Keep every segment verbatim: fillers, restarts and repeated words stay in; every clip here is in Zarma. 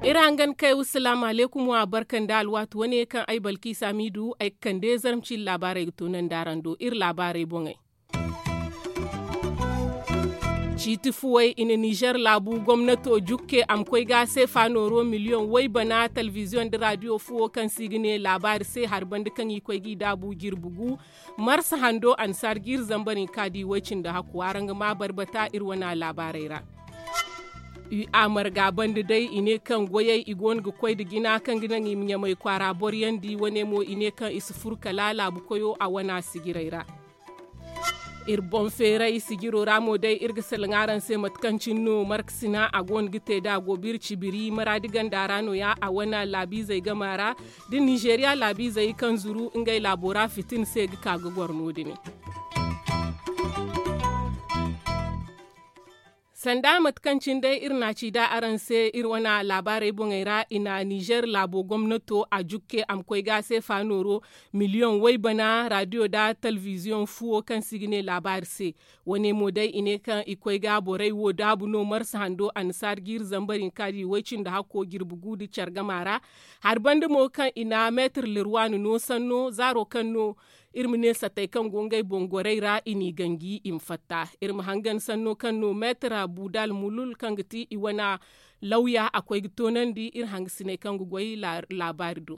Iri hangan kay wa salaamu alaykum wa barka nda alwaati wane kaŋ ay balkiisa miidu ay ga kande zarma ciiri laabaarey ga toonandi araŋ do iri laabaarey boŋey. Ciiti fuwey i na nizer laabu gomnato jukke a ma koy ga seefa nooro miliyoŋ way bana talbiziyoŋ nda raadiyo fuwo kaŋ se i ga ne laabaari se hari banda kaŋ i koy ga i daabu jirbi gu. Marsa hando annasaara jiiri zambar hinka da i way cindi hakku araŋ ga ma barbata iri wane laabaarey ra. Ui a marga banda day i ne kaŋ goyey i go no ga koy nda jina kaŋ ga naŋ i ma ɲamay kwaara boro yaŋ di wane mo i ne kaŋ i si furo kala laabu koyo a wane sijirey ra. Iri boŋ feeray sijiro ra mo day iri ga salaŋ araŋ se mate kaŋ cine no markasina a go no ga te da a go biri cibiri maraadi ganda ra no- ya a wane laabiizey gama ra da ninzeeriya laabiizey kaŋ zuru ngey laabo ra fitina se ga ka ga goro no- din. Sanda mate kaŋ cine day iri na a ci da araŋ se iri wane laabaarey boŋey ra i na nizer laabo gomnato a jukke a ma koy ga seefa nooro miliyoŋ waybana raadiyo nda talbiziyoŋ fuwo kaŋ se i ga ne laabaari se. Wane mo day i ne kaŋ i koy ga borey wo daabu no marsa hando annasaara jiiri zambar hinka da i way cindi hakko jirbi gu nda care gama ra. Hari banda mo kaŋ i na meetir lirwaani no sanno zaaro kaŋ no iri ma ne satey kaŋ go ngey boŋ gorey ra i n'i ganji i ma fatta. Iri ma hangan sanno kaŋ no meetir budal mulul kaŋ ga ti i wane lawya a koy ga toonandi iri hangasiney kaŋ ga goy laabaari do.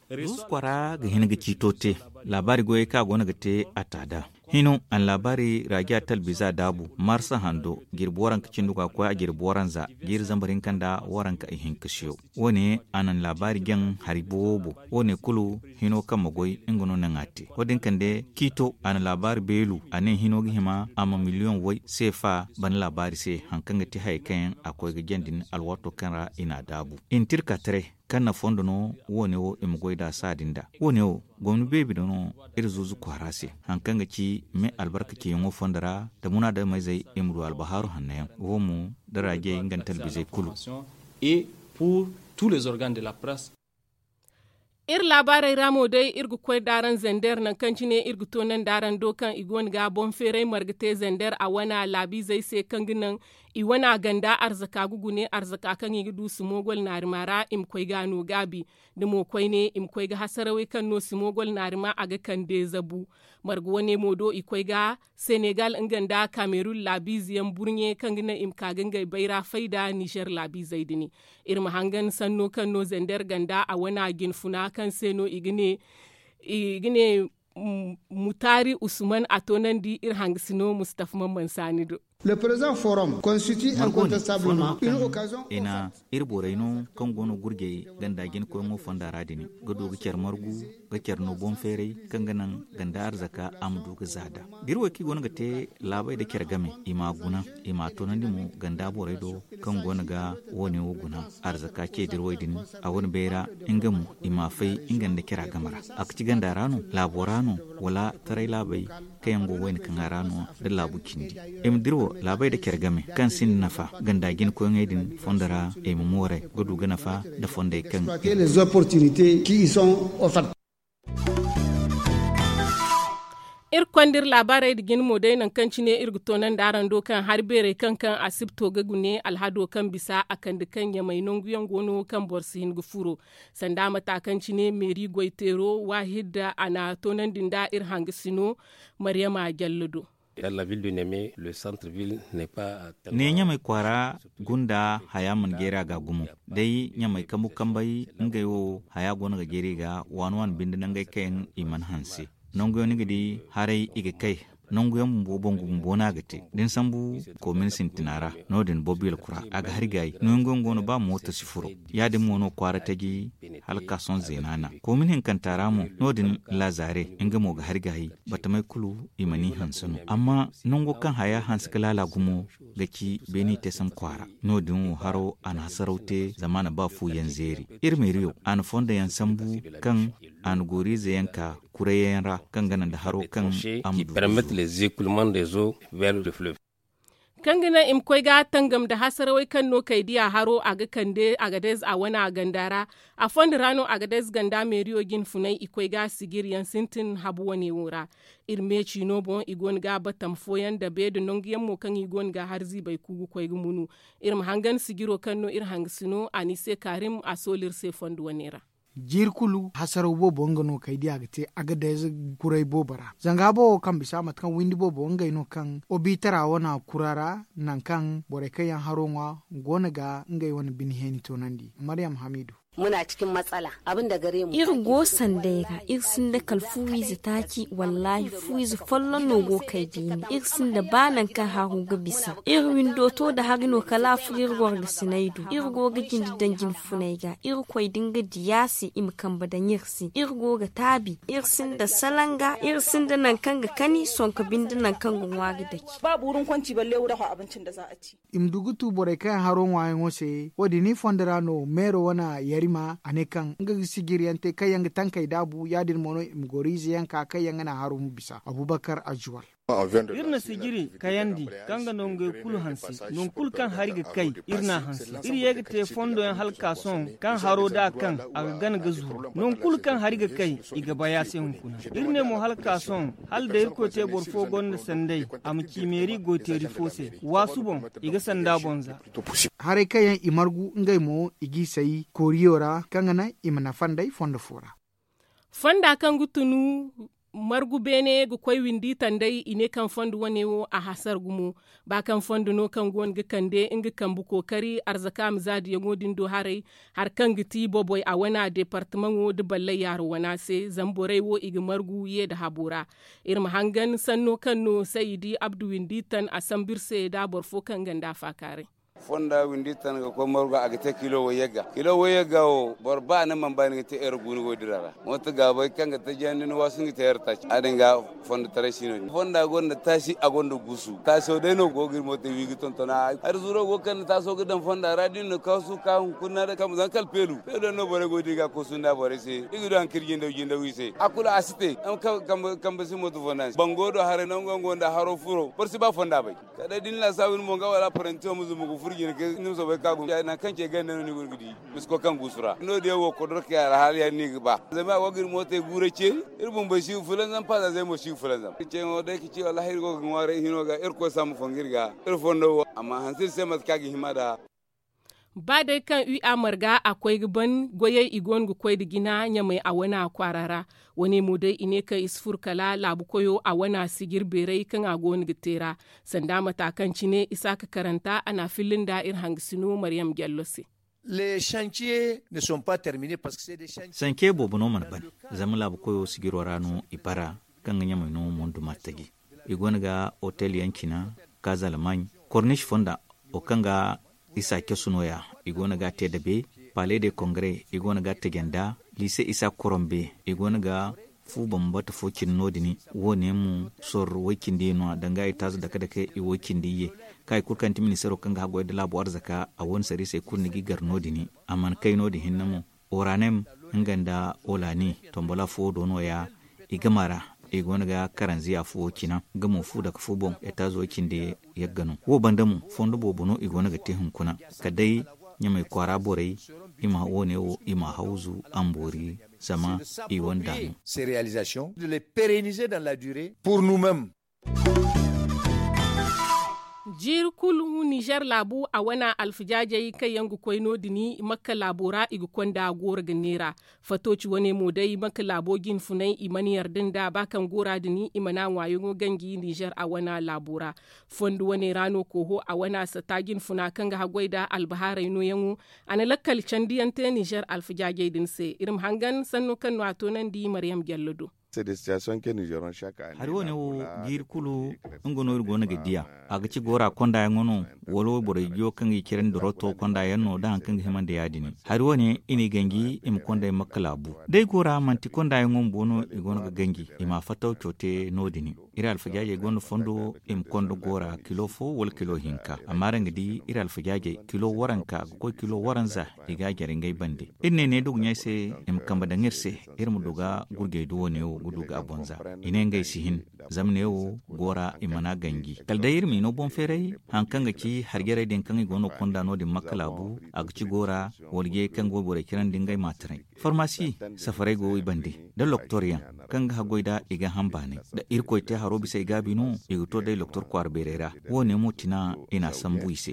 Duusu kwara ga hin ga ciito te laabaari goyey kaŋ a go no ga te a ta da. Hino a na laabaari raajiya talbiza daabu marsa hando jirbi waranka cindi ga koy a jirbi waranza jiiri zambar hinka nda waranka ihinka siyo. Wo- ne a na laabaari jaŋ hari boobo. Wo- ne kulu hino kaŋ ma goy nga no naŋ a te wo- din kande ciito a na laabaari beelu a ne hino ga hima a ma miliyoŋ way seefa bana laabaari se hari kaŋ ga ti hayey kaŋ yaŋ a koy ga jaŋ din alwaato kaŋ ra i n'a daabu i na tirka taray kaŋ na fondo no wo- ne wo i ma goy nd'a saadi nd'a. Wo- ne wo gomni beebi do no iri zuuzu kwaara se hari kaŋ ga ci me albarka ceeyaŋo fondo ra nda munaadameyzey i ma du albahaaru hanno yaŋ wo mo da raajey nga nda talbizey kulu. Iri laabaarey ra mo day iri ga koy nd'araŋ zander nangu kaŋ cine iri ga toonandi araŋ do kaŋ i go no ga boŋ feeray marga te zander a wane laabiizey se kaŋ ga naŋ i wane ganda arzaka ga gune arzaka kaŋ i ga du simogol naarima ra i ma koy ga a no gaabi. Da mo koyne i ma koy ga hasarawey kaŋ no simogol naarima a ga kande zabu. Marga wane mo do i koy ga senegal nga nda kamerun laabiize yaŋ burɲe kaŋ ga naŋ i ma ka ga ngey bayra fay nda nizer laabiizey din. Iri ma hangan sanno kaŋ no zander ganda a wane jinfuna kaŋ se no i ga ne mutaari usman a toonandi iri hangasino mustafa mamman saani do. Margo ne fondo kaŋ i na iri borey no kaŋ go no gurjey ganda jinkoyaŋo fonda ra din ga du ga care margu ga care no boŋ feeray kaŋ ga naŋ ganda arzaka a ma du ga za nd'a. Da iri wo kaŋ i go no ga te laabey nda care game i m'a guna i m'a toonandi mo ganda borey do kaŋ go no ga wo- ne wo guna arzaka ce da iri wo din a wane bayra nga mo i m'a fay nga nda cara game ra a ga ci ganda ra no laabo ra no wala taray laabey kaŋ yaŋ go wayna kaŋ a ra no da laabu cindi. I ma dira wo laabey nda care game kaŋ sinda nafa ganda jinkoyaŋey din fondo ra i ma mooray ga du ga nafa nda fondey kaŋ i ma. Iri konda iri laabaarey nda jina mo day nangu kaŋ cine iri ga toonandi araŋ do kaŋ hari beerey kaŋ kaŋ asibto ga gune alhado kaŋ bisa a kande kaŋ ɲamay nangu yaŋ go no kaŋ boro si hin ga furo. Sanda mata kaŋ cine meeri goyteero waahid a na toonandi nda iri hangasino maryama jallo do. Ne ɲamay kwaara gunda haya mana jeeri a ga gumo day ɲamay kambu kambey ngey wo haya go no ga jeeri i ga waani waani binde nangey kaŋ yaŋ i mana hanse. Nangu yaŋ ni ga di haray i ga kay nangu yaŋ bumbo bangu bumbo no a ga te da ni sambu koomin sintina ra. No- din bobil kura a ga hari gaayi nangu yaŋ go no ba mooto si furo. Ya- din mo no kwaara taji hala kaasoŋ zeena na koomin hinkanta ra mo no- din lazaare nga mo ga hari gaayi batamey kulu i mana i hanse no amma nango kaŋ haya hanse ga laala gumo ga ci beeni teesam kwaara. No- din wo haro a na hasaraw te zama a na ba fu yaŋ zeeri. Iri meeriyo a na fondo yaŋ sambu kaŋ a na gooriize yaŋ ka kurayyaŋ ra kaŋ ga naŋ nda haro kaŋ a ma du ga zo. Kaŋ ga naŋ i ma koy ga tangam nda hasarawey kaŋ no kay diya haro a ga kande agadez a wane a ganda ra. A fondo ra no agadez ganda meeriyo jinfunay i koy ga sijir yaŋ sintin habu wane wo ra. Iri me ciino boŋ i go no ga batam fooyaŋ nda beeda nangu yaŋ mo kaŋ i go no ga har ziibay ku ga koy ga munu. Iri ma hangan sijiro kaŋ no iri hangasino a ni se kaarim a soolu iri se fondo wane ra. Jiiri kulu hasaraw boobo nga no kay di a ga te agadez kuray boobo ra zanga boobo kaŋ bisa mate kaŋ windi boobo ngey no kaŋ obiitara wana kura ra. Nangu kaŋ borey kaŋ yaŋ haro ŋwa go no ga ngey wane bine heeni toonandi maryam hamiidu. Iri go sanday ra iri sinda kala fu wiize taaci wallaahi fu wiize folloŋ no go kay beene iri sinda ba nangu kaŋ haro ga bisa iri windo to nda hari no kala a furo iri wargasinay do iri go ga jinde daŋ jinfunay ga iri koy da nga diya se i ma kambe daŋ iri se iri go ga taabi iri sinda salanga iri sinda nangu kaŋ ga kani sonko binde nangu kaŋ ga ŋwa ga dake. I ma du ga tu borey kaŋ yaŋ haro ŋwaayaŋo se wo- din i fondo ra no meero wane yarima a ne kaŋ nga ga sijir yaŋ te kaŋ yaŋ ga tankey daabu ya- din mo no i ma goro ize yaŋ ka kaŋ yaŋ ga naŋ haro ma bisa abubakar azuwal. Iri na sijiri kayandi kaŋ ga nangey kulu hanse nangu kulu kaŋ hari ga kay iri n'a hanse iri ye ga te fondo yaŋ hala ka sohõ kaŋ haro da a kaŋ a ga gana ga zuru nangu kulu kaŋ hari ga kay i ga bay a se hunkuna. Iri ne mo hala ka sohõ hala da irkoy te boro fo gonda sanday a ma ci meeri goyteeri fo se waasu boŋ i ga sanda boŋ za. Haray kaŋ yaŋ i margu ngey mo i g'i say kooriyo ra kaŋ ga naŋ i ma nafa nd'ey fondo fo ra. Fonda kaŋ ga tunu margu beene ga koy windi tanday i ne kaŋ fondo wane wo a hasara gumo. Ba kaŋ fondo no kaŋ go no ga kande nga kambe kookari arzaka ma zaadiyaŋo din do haray hari kaŋ ga ti bobey a wana deepartamaŋo nda ballay yaaro wana se zama borey wo i ga margu ye nda habo ra. Iri ma hangan sanno kaŋ no sayidi abdu windi tan a sambu iri se nda boro fo kaŋ ganda faakaaray. Fonda windi tan ga koy margu a ga te kilo way yagga kilo way yagga wo boro ba ni mana ba ni ga te ere gu ni go dira ra. Mooto gaabay kaŋ ga tajiyandi ni waasu ni ga te ere taaci ya- din ga. Fondo taray si no- din fonda gonda taasi a gonda guusu taaso day no go ga iri mooto wi ga tontona. Hari zuro go kaŋ ni taaso ga daŋ fonda ra da ni na kaasu ka hunkuna da kambe zama kala peelu peelu yaŋ no borey go ga di ga koosu nda borey se i ga du hari kaŋ iri jindaw jindaw i se a kulu a si te. Kambe si mooto fonda ni se bango do haray nango yaŋ go nda haro furo boro si ba fonda bay. Kala day da ni laasaabu ni mo nga wala parantiyo ma zumbu ga furo jine ga ni ma soobay ga ka gumo ya- din nangu kaŋ ce ganda no ni go ga di. Misko kaŋ guusu ra no- din yaŋ wo kodorkey alhaali ya- din no i ga ba zama a go ga iri mootey guuray ceeri. Iri bumbey si ga fulanzam paazazey mo si ga fulanzam iri ceeyaŋo day ga ci wallaahi iri go ga ŋwaaray hino ga irkoy sambu fongu iri ga. Iri fondo wo a ma hanse iri se mate kaŋ a ga hima nd'a. Ba day kaŋ ui a marga a koy ga ban goyey i go no ga koy nda jina ɲamey a wana kwaara ra. Wane mo day i ne kaŋ i si furo kala laabu koyo a wana sijir beeray kaŋ a go no ga te ra. Sanda mata kaŋ cine isaaka karanta a n'a filla nda iri hangasino maryam jallo se. Sanke boobo no mana ban zama laabu koyo sijiro ra no i bara kaŋ ga ɲamey no mondu martaji. I go no ga otel yaŋ cina kaazalmaŋ kornish fonda wo kaŋ ga isa casu no- ya. I go no ga a te dabe palais de congrès i go no ga a taje nda liise isa korombe. I go no ga fu bambata fo cine no- din wo- ne mo sor way cindi ye no- ya danga i taazu dake dake i way cindi ye. Kaŋ hari kulu kaŋ ti ministeero kaŋ ga haggoy nda laabo arzaka a wo- ne sariisey kulu ni g'i gar no- din. A mana kay no- din hinne mo oranem nga nda olani tombola fo do no- ya. I gama ra i go no ga karanziya fo wo cina nga mo fu dake fu boŋ etaazo cindi yagga no wo banda mo fondo boobo no i go no ga te hunkuna. Kala day ɲamey kwaara borey i ma wo- ne wo i m'a hawzu a ma boori zama i wanda no. Jiiri kulu nizer laabu a wana alfijaajey kaŋ yaŋ ga koy no- din makka laabo ra i ga konda gooro ga neera. Fatooci wane mo day makka laabo jinfunay i mana yarda nda ba kaŋ goora din i mana ŋwaayaŋo ganji nizer a wana laabo ra. Fondo wane ra no kooho a wana sata jinfuna kaŋ ga haggoy nda albahaarey nooyaŋo. A na lakkal candiyaŋ te nizer alfijaajey din se iri ma hangan sanno kaŋ no a toonandi maryam jallo do. Hari wo- ne wo jiiri kulu nga no iri go no ga diya. A ga ci goora kondayaŋo no wala wayborey jiyo kaŋ ga i cire nda roto kondayaŋ no da hari kaŋ ga hima nda ya- din. Hari wo- ne i n'i ganji i ma konday makka laabu. Day goora manti kondayaŋo bumbo no i go no ga ganji i ma a fattaw coote no- din. iri alfajaajey gonda fondo i ma konda goora kilo fo wala kilo hinka. Amma araŋ ga di iri alfajaajey kilo waranka ga koy kilo waranza, i ga a jare ngey bande. Iri ne ne da ga ɲa ay se i ma kambe daŋ iri se, iri ma du ga gurjey du wane wo ga du ga a bonza. I ne ngey si hin. Zama ne wo goora i mana ganji kala day iri ma i no boŋ feeray. Hari kaŋ ga ci harjarey din kaŋ i go no ga konda no- din makka laabu, a ga ci goora, wala jey kaŋ go borey cirandi ngey maataray. Farmasi safaray go i bande, da loktor yaŋ kaŋ ga haggoy nd'a i ga hanbaanay. Da irkoy te haro bisa i gaabi no, i ga to day loktor kwaara beeray ra. Wo- ne mo tina i n'a sambu i se.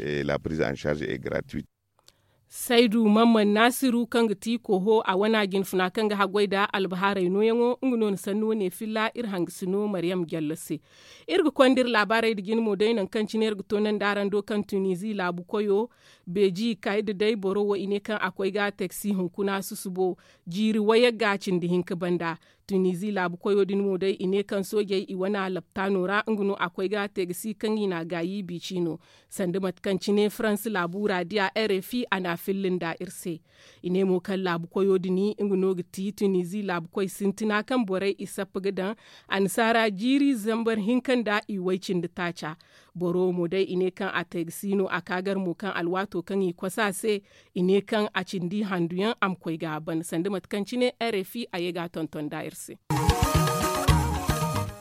Saydu mamman naasiru kaŋ ga ti koho a wana jinfuna kaŋ ga haggoy nda albahaarey nooyaŋo nga no ni sanni wane filla iri hangasino maryam jallo se. Iri ga konda iri laabaarey nda jine mo day nangu kaŋ cine iri ga toonandi araŋ do kaŋ tunizi laabu koyo beeji kayda day boro wo i ne kaŋ a koy ga taksi hunkuna susubo jiiri wayagga cindi hinka banda. Tunizi laabu koyo din mo day i ne kaŋ soojey i wana laptaano ra nga no a koy ga taksi kaŋ i n'a gaayi biici no. Sanda mate kaŋ cine faransa laabu ra diya r f i a n'a filla nda iri se. I ne mo kaŋ laabu koyo din nga no ga ti tunizi laabu koy sintina kaŋ borey i sappa ga daŋ annasaara jiiri zambar hinka nda i way cindi taaca. Boro wo mo day i ne kaŋ a te ga si no a ka gar mo kaŋ alwaato kaŋ i kosa se. I ne kaŋ a cindi handuyaŋ a ma koy ga a ban sanda mate kaŋ cine r f i a ye ga a tonton nda iri se.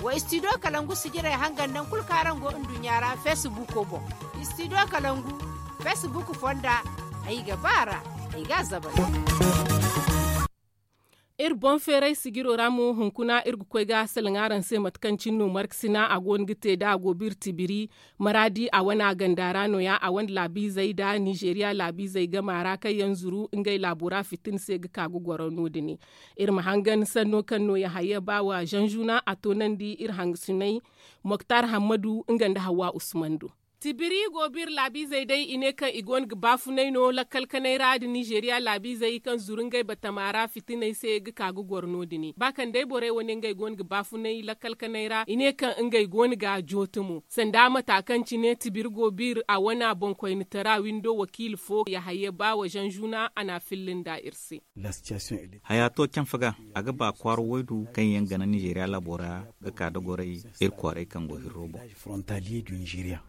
Wa studio kalangu sijirey hangan naŋ kulu kaŋ araŋ go nduɲɲa ra facebook boŋ. Studio kalangu facebook fonda ay ga ba ra ay ga a zabari. Iri boŋ feeray sijiro ra mo hunkuna iri ga koy ga salaŋ araŋ se mate kaŋ cine no markasina a go no ga te da a go biri tibiri. Maraadi a wane a ganda ra no- ya a wane laabiizey nda nizeeriya laabiizey gama ra kaŋ yaŋ zuru ngey laabo ra fitina se ga ka ga goro no- din. Iri ma hangan sanno kaŋ no yahaya baawa zanzuna a toonandi iri hangasiney. Moktar hammadu nga nda hawa usman do. Tibiri go biri laabiizey day i ne kaŋ i go no ga baafunay no lakkal kanay ra nda nizeeriya laabiizey kaŋ zuru ngey batama ra fitiney se ga ka ga goro no- din ba kaŋ day borey wane ngey go no ga baafunay lakkal kanay ra i ne kaŋ ngey go no ga a jooto mo sanda mata kaŋ cine tibiri go biri a wana boŋkoynitara windo wakiila fo yahaya baawa zanzuna a n'a filla nda iri se. Haya to canfa ga a ga ba kwaara waydu kaŋ yaŋ gana nizeeriya laabo ra ga ka da goray iri kwaaray kaŋ go hirro boŋ.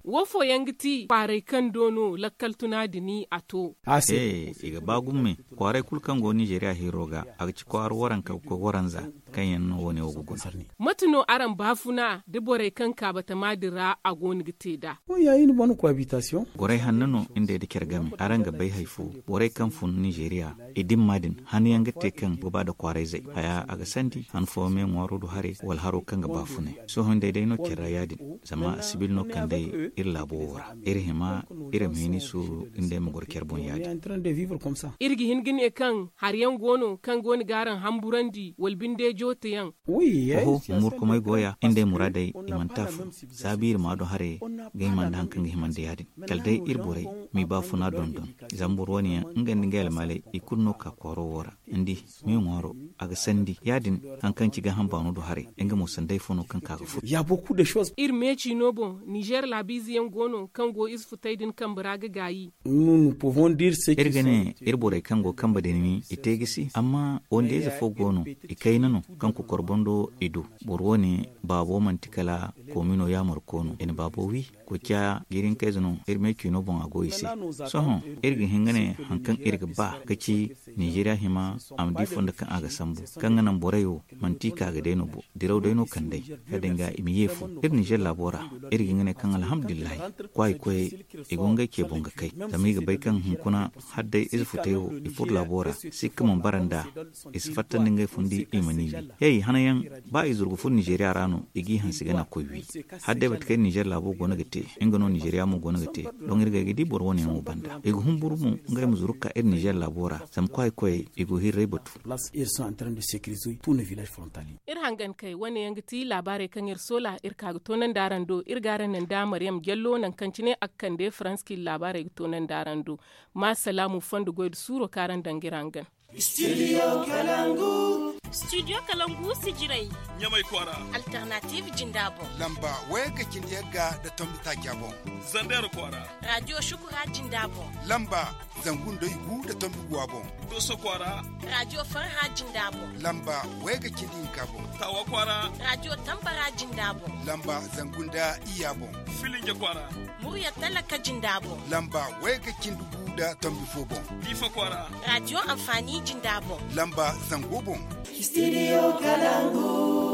Wo fooyaŋ ga ti kwaaray kaŋ do no lakkal tuna din a to. I ga ba gumme kwaaray kulu kaŋ go nizeeriya hirro ga a ga ci kwaara waranka ga koy waranza kaŋ yaŋ no wo- ne wo ga guna. Mate no araŋ baafuna da borey kaŋ ka batama din ra a go no ga te nd'a? Goray hanno no nda ay da care game araŋ ga bay hari fo. Borey kaŋ fun nizeeriya i dimma din han yaŋ ga te kaŋ ga ba nda kwaarayzey haya a ga sandi han fooyaŋ me ŋwaaro do haray wala haro kaŋ ga baafunay. Sohõ nda ay day no care ra ya- din zama sibil no kand'ey iri laabo wo ra iri hima iri ma hin i suuru nda ay ma goro care boŋ ya- din. Iri ga hin ga ne kaŋ hari yaŋ go no kaŋ go no ga araŋ hamburandi wala binde jooto yaŋ? Oho, humburkumay go ya nda ay muraadey i mana te afo. Za biiri ma do haray ga hima nda hari kaŋ ga hima nda ya- din kala day iri borey m'i baafuna dondon. Zama boro wane yaŋ nga nda ngey almaaley i kulu no ga ka kwaaro wo ra. Ni di, me ŋwaaro a ga sandi ya- din. Hari kaŋ ci gaaham baano do haray nga mo sanda ifo no kaŋ ka ga furo. Iri meeci no boŋ nizeer laabiize yaŋ go no kaŋ go ize futey din kambe ra ga gaayi. Iri ga ne iri borey kaŋ go kambe din wi i te gisi amma wandiyayze fo go no, i kayna no kaŋ kokor boŋ do i du. Boro wane baabo manti kala koomino yaamarko no i na baabo wi. Koociya jiirinkayze no iri me ciino boŋ a go i se. Sohõ iri ga hin ga ne hari kaŋ iri ga ba ga ci nizeeriya hima a ma di fondo kaŋ a ga sambu kaŋ ga naŋ borey wo manti ka ga day no bo. Diraw day no kand'ey ya- din ga i ma ye fu iri nizeer laabo ra. Iri ga hin ga ne kaŋ alhamdulillahi kwaayi koyey i go ngey ce boŋ ga kay. Zama i ga bay kaŋ hunkuna hala day ize futey wo i furo laabo ra sikka mana bara nd'a. I si fattandi ngey fundi i ma ni wi. Hey hana yaŋ ba i zuru ga furo nizeeriya ra no i g'i hansi ga naŋ koy wi. Hala day mate kaŋ nizeer laabo go no ga te nga no nizeeriya mo go no ga te. Doŋ iri ga ay ga di boro wane yaŋ wo banda i ga humburu mo ngey ma zuru ga ka iri nizeer laabo ra zama kwaayi koyey i go hirrey batu. Iri hangan kay wane yaŋ ga ti laabaarey kaŋ iri soola iri ka ga toonandi araŋ do iri ga araŋ naŋ da maryam jallo nangu kaŋ cine a ga kande farans kaŋ iri laabaarey ga toonandi araŋ do. Ma salaamu fondo goy nda suuro kaŋ araŋ daŋ ga iri hangan. Studio kalangu. Studio kalangu sijirey. Ɲamay kwaara. Alternative jinda boŋ. Lamba wayga cindi yagga da tombi taaca boŋ. Zander kwaara. Radio shukura jinda boŋ. Lamba zangu nda igu da tombi guwa boŋ. Doso kwaara. Radio farha jinda boŋ. Lamba wayga cindi hinka boŋ. Tawa kwaara. Radio tambara jinda boŋ. Lamba zangu nda iya boŋ. Filinge kwaara. Murya talaka jinda boŋ. Lamba wayga cindi gu da tombi fo boŋ. Diifa kwaara. Radio amfani jinda boŋ. Lamba zango boŋ. Studio kalangu.